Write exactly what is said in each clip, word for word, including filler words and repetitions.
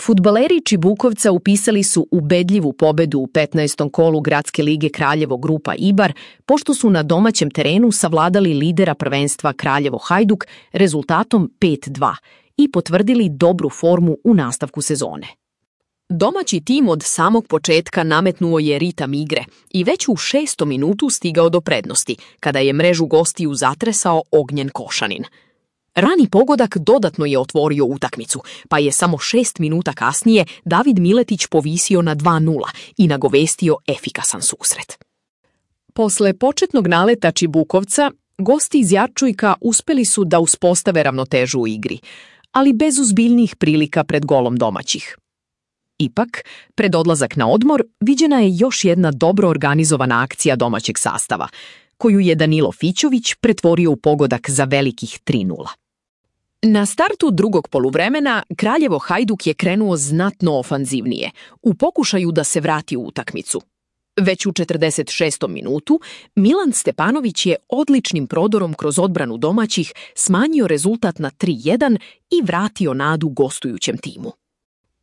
Fudbaleri Čibukovca upisali su ubedljivu pobedu u petnaestom kolu Gradske lige Kraljevo grupa Ibar, pošto su na domaćem terenu savladali lidera prvenstva Kraljevo Hajduk rezultatom pet dva i potvrdili dobru formu u nastavku sezone. Domaći tim od samog početka nametnuo je ritam igre i već u šestom minutu stigao do prednosti, kada je mrežu gostiju zatresao Ognjen Košanin. Rani pogodak dodatno je otvorio utakmicu, pa je samo šest minuta kasnije David Miletić povisio na dva nula i nagovestio efikasan susret. Posle početnog naleta Čibukovca, gosti iz Jarčujka uspeli su da uspostave ravnotežu u igri, ali bez ozbiljnih prilika pred golom domaćih. Ipak, pred odlazak na odmor, viđena je još jedna dobro organizovana akcija domaćeg sastava, koju je Danilo Fićović pretvorio u pogodak za velikih tri nula. Na startu drugog poluvremena Kraljevo Hajduk je krenuo znatno ofanzivnije, u pokušaju da se vrati u utakmicu. Već u četrdeset šestom minutu Milan Stepanović je odličnim prodorom kroz odbranu domaćih smanjio rezultat na tri jedan i vratio nadu gostujućem timu.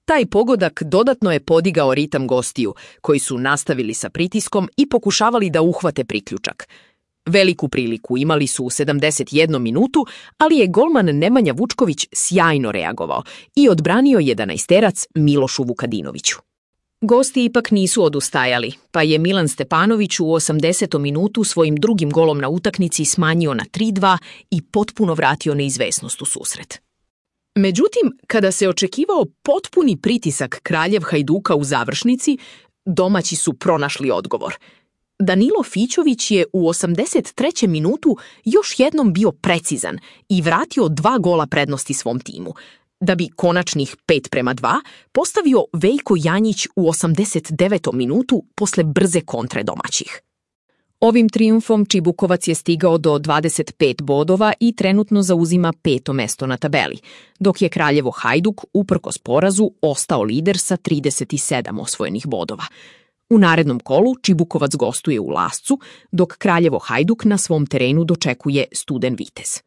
Taj pogodak dodatno je podigao ritam gostiju, koji su nastavili sa pritiskom i pokušavali da uhvate priključak. Veliku priliku imali su u sedamdeset jednom minutu, ali je golman Nemanja Vučković sjajno reagovao i odbranio jedanaesterac Milošu Vukadinoviću. Gosti ipak nisu odustajali, pa je Milan Stepanović u osamdesetom minutu svojim drugim golom na utakmici smanjio na tri dva i potpuno vratio neizvesnost u susret. Međutim, kada se očekivao potpuni pritisak Kraljev Hajduka u završnici, domaći su pronašli odgovor. Danilo Fićović je u osamdeset trećem minutu još jednom bio precizan i vratio dva gola prednosti svom timu, da bi konačnih pet prema dva postavio Veljko Janjić u osamdeset devetom minutu posle brze kontre domaćih. Ovim trijumfom Čibukovac je stigao do dvadeset pet bodova i trenutno zauzima peto mesto na tabeli, dok je Kraljevo Hajduk, uprkos porazu, ostao lider sa trideset sedam osvojenih bodova. U narednom kolu Čibukovac gostuje u Lascu, dok Kraljevo Hajduk na svom terenu dočekuje Studen Vitez.